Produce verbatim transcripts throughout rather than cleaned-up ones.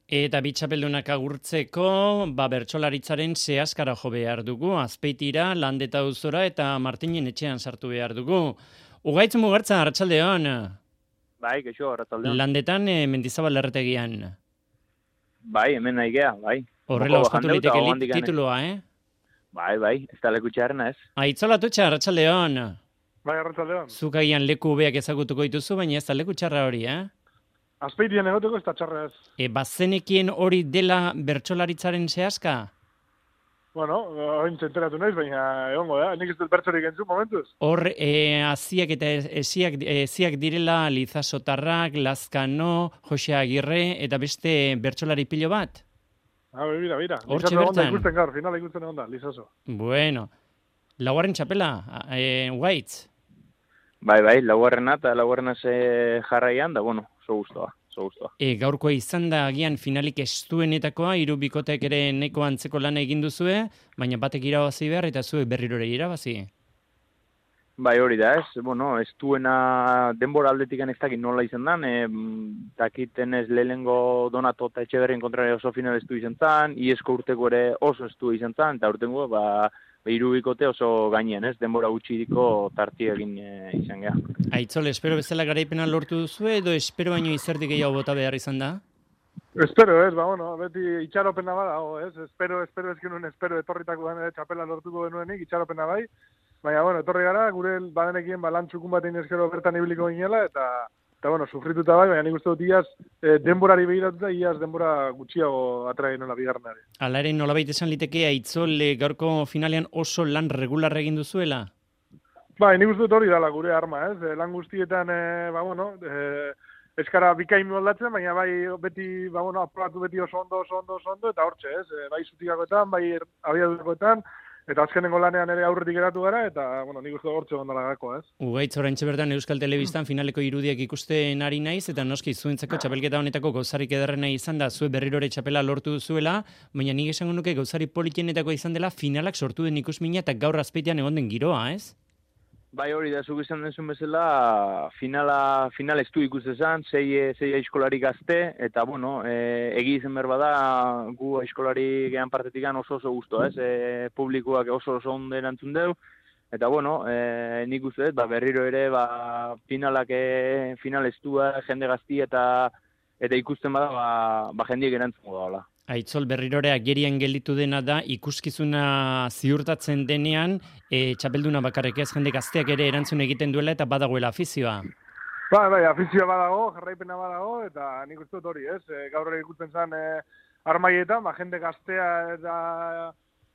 Eta bitxapeldunak agurtzeko, ba, bertsolaritzaren zehazkara jo behar dugu, Azpeitira, Landeta auzora eta Martinen etxean sartu behar dugu. Ugaitz Mugartza, arratsaldeon. Bai, keixo, arratsaldeon. Landetan, e, Mendizabal erretegian. Bai, hemen nahi gea, bai. Horrela ospatu liteke tituloa, eh? Bai, bai, ez da leku txarrena ez. Aitzola Tutxa, arratsaldeon. Bai, arratsaldeon. Zuk agian leku beak ezagutuko dituzu, baina ez da leku txarra hori, eh? Azpeitian egoteko ez da txarra ez. E, bazenekien hori dela bertsolaritzaren zehazka? Bueno, hain zenteratu naiz, baina egongo da. Nik ez dut bertsorik entzun momentuz. Hor, e, aziak eta eziak, eziak direla Lizaso Tarrak, Lazkano, Jose Agirre eta beste bertsolari pilo bat? Ah, bira, bira. Hortxe Lizaso bertan? Onda ikusten gaur, finala ikusten egon da, Lizaso. Bueno. Laugarren txapela, e, Ugaitz? Bai, bai, laugarrena eta laugarrena ze jarraian, da, bueno, oso gustoa, oso gustoa. E, gaurkoa izan da agian finalik estuenetakoa, hiru bikotek ere neko antzeko lana egin duzue, baina batek irabazi behar eta zuek berrirore irabazi. Bai, hori da, ez, bueno, ez duena denbora aldetikan ez dakit nola izan dan, e, dakiten ez lehenengo Donato eta Etxeberrien kontrari oso final estu izan zan, iesko urteko ere oso estu izan zan, eta urtengo, ba, hiru bikote oso gainean, ez, denbora gutxiriko tarti egin e, izan geha. Aitzol, espero bezala garaipena lortu duzu edo espero baino izerdik gehiago bota behar izan da? Espero ez, ba, bueno, beti itxaropena badago, ez? Espero, espero ez genuen, espero etorritako den txapela lortuko genuenik, itxaropena bai. Baina, bueno, etorri gara, gure badenekien balantxukun batein eskero bertan ibiliko ginela, eta, eta bueno, sufrituta bai, baina nik uste dut iaz e, denborari behiratuta, iaz denbora gutxiago atrai nola bigarrenari. Hala ere, nolabait esan liteke Aitzol gaurko finalean oso lan regular egin duzuela? Bai, nik uste dut hori dala gure arma, ez? E, lan guztietan, e, ba, bueno, e, eskara bikain moldatzen, baina bai beti, ba, bueno, aprobatu beti oso ondo, oso ondo, oso ondo, eta hortxe, ez? E, bai zutikakoetan, bai abiadurakoetan, eta azkenengo lanean ere aurretik geratu gara, eta, bueno, nik uste hortxe gondala gako, ez? Ugaitz, oraintxe bertan Euskal Telebistan finaleko irudiak ikusten ari naiz, eta noski zuentzako txapelketa honetako gauzarik ederrena izan da, zue berrirore txapela lortu duzuela, baina nik esango nuke gauzari politienetako izan dela finalak sortu den ikusmina eta gaur Azpeitian egon den giroa, ez? Bai, hori da, zuk izan denzun bezala, finala, final estu ikustezan, sei, sei aizkolari gazte, eta, bueno, e, egi izen berba da, gu aizkolari gehan partetik oso oso guztu, ez? E, publikoak oso oso ondo erantzun deu, eta, bueno, e, nik uste, ba, berriro ere, ba, finalak, e, final estua, jende gazti, eta eta ikusten bada, ba, ba jendiek erantzun da. Aitzol, berrirore agerian gelditu dena da, ikuskizuna ziurtatzen denean, e, txapelduna bakarrik ez, jende gazteak ere erantzun egiten duela eta badagoela afizioa. Ba, bai, afizioa badago, jarraipena badago, eta nik uste dut hori, ez? E, gaur ikusten zen e, armaietan, ba, jende gaztea eta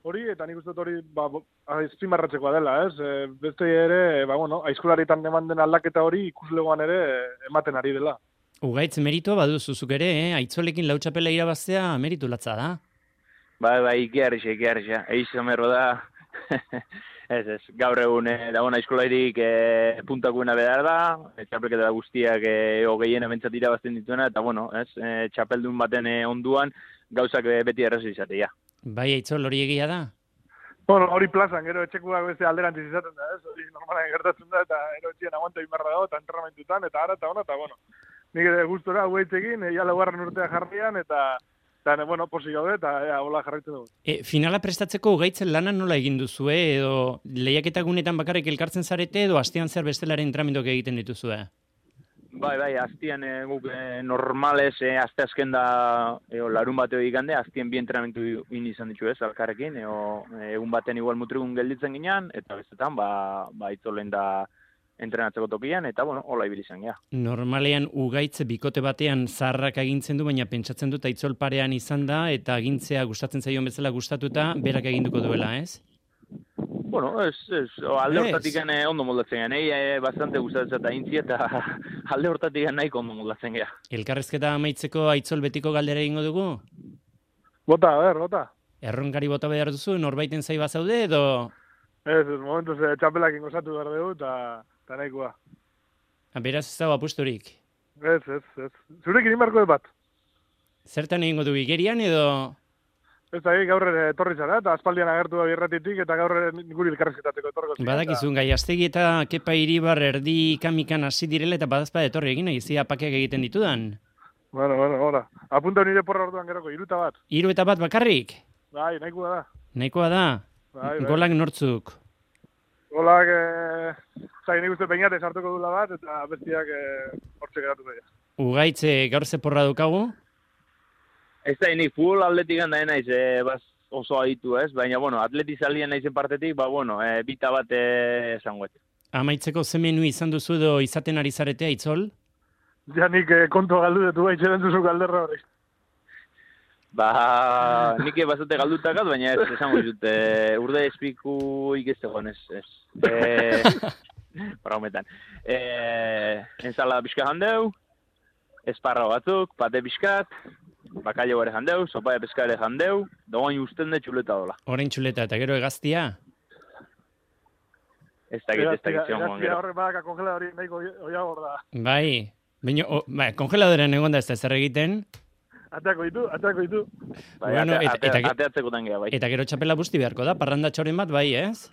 hori, eta nik uste dut hori, ba, azpimarratzekoa dela, ez? E, beste ere, ba, bueno, aizkolaritan eman den aldaketa hori ikuslegoan ere ematen ari dela. Ugaitz, meritoa baduzuzuk ere, eh? Aitzolekin lau txapela irabaztea meritu latza da. Bai, bai, ikiarrixa, ikiarrixa. Eiz amerro da, ez, ez, gaur egun eh, dagoen aizkolairik eh, puntakuena behar da, txapelketa guztiak eh, hogeien ebentzat irabazten dituena, eta bueno, ez, eh, txapeldun baten eh, onduan gauzak eh, beti errazu izatea. Bai, Aitzol, hori egia da? Bueno, hori plazan, gero etxekuak beste alderantziz izaten da, ez? Hori normalan gertatzen da, eta ero etxien aguanta bimarra dago, eta entrenamentutan, eta ara, eta ona, eta bueno. Nik ere gustora hueitzekin, ja laugarren urtea jarrian, eta, eta bueno, posi gaude, eta ja, hola jarraitzen dugu. E, finala prestatzeko Ugaitzen lana nola egin duzue, edo lehiaketa gunetan bakarrik elkartzen zarete, edo astean zer bestelaren entrenamenduak egiten dituzue? Bai, bai, aztian e, guk e, normales, e, azte azken da e, larun bateo ikande, aztien bi entrenamentu in izan ditu ez, alkarrekin, e, egun baten igual mutrigun gelditzen ginean, eta bestetan, ba, ba itzolen da entrenatzeko tokian, eta, bueno, hola ibili izan, ja. Normalean Ugaitz bikote batean zarrak agintzen du, baina pentsatzen dut Aitzol parean izan da, eta agintzea gustatzen zaion bezala gustatuta, berak eginduko duela, ez? Bueno, ez, ez, alde hortatik eh, ondo moldatzen gehan, eh, bastante gustatzen eta intzi, eta alde hortatik nahiko ondo moldatzen gehan. Elkarrezketa amaitzeko Aitzol betiko galdera egingo dugu? Bota, a ber, bota. Erronkari bota behar duzu, norbaiten zaiba zaude, edo... Ez, ez, momentuz eh, txapelak ingozatu behar dugu, eta... Eta nahikoa. Beraz ez dago apusturik? Ez, ez, ez. Zurekin inbarko bat. Zertan egingo du igerian edo... Ez da, gaur etorri zara, eta aspaldian agertu da birratitik, eta gaur guri elkarrezketateko etorko. Badakizun, Gaiastegi eta Kepa Iribar erdi kamikan hasi direla, eta badazpa etorri egin, egizia pakeak egiten ditudan. Bueno, bueno, hola. Apunta nire porra orduan geroko, iruta bat. Hiru eta bat bakarrik? Bai, nahikoa da. Nahikoa da? Bai, bai. Golak nortzuk? Golak, eh, zai, nik uste peinate sartuko dula bat, eta bestiak eh, hortxe geratu daia. Ugaitze gaur ze porra dukagu? Ez da, nik futbol atletik handa naiz, e, baz, oso aditu, ez? Baina, bueno, atletizalien naizen partetik, ba, bueno, e, bita bat e, esangoet. Amaitzeko ze menu izan duzu edo izaten ari zaretea, Itzol? Ja nik eh, kontu galdu detu baitxeren duzu galderra hori. Ba, nik bazate galdutakat, baina ez, esango dut, e, urde espiku ikezegoen, ez, ez. E, Braumetan. E, enzala pixka handeu, esparra batzuk, pate pixkat, bakailo ere jandeu, sopa de pesca ere jandeu, doain usten de txuleta dola. Orain txuleta eta gero egaztia? Ez dakit, ez dakit zion goan gero. Horrek badaka kongeladori nahiko oia hor da. Bai, baina, oh, bai, kongeladorean egon da ez da zer egiten. Ateako ditu, ateako ditu. Bai, Bueno, ate, eta- ate, eta- ateatzeko tangea, bai. Eta gero txapela busti beharko da, parrandatxoren bat bai, ez?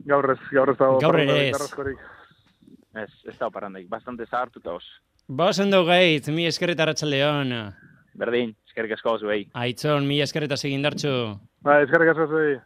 Gaur ez, gaur ez dago. Gaur ere parrandarik, ez. arraskorik. Ez, ez da parrandaik, bastante zahartuta os. Bosen dugu gaitz, mi eskerreta Arratsaldeon. Berdin, eskerrik asko zuei. Aitzon, mi eskerreta segindartxo. Bai, eskerrik asko zuei.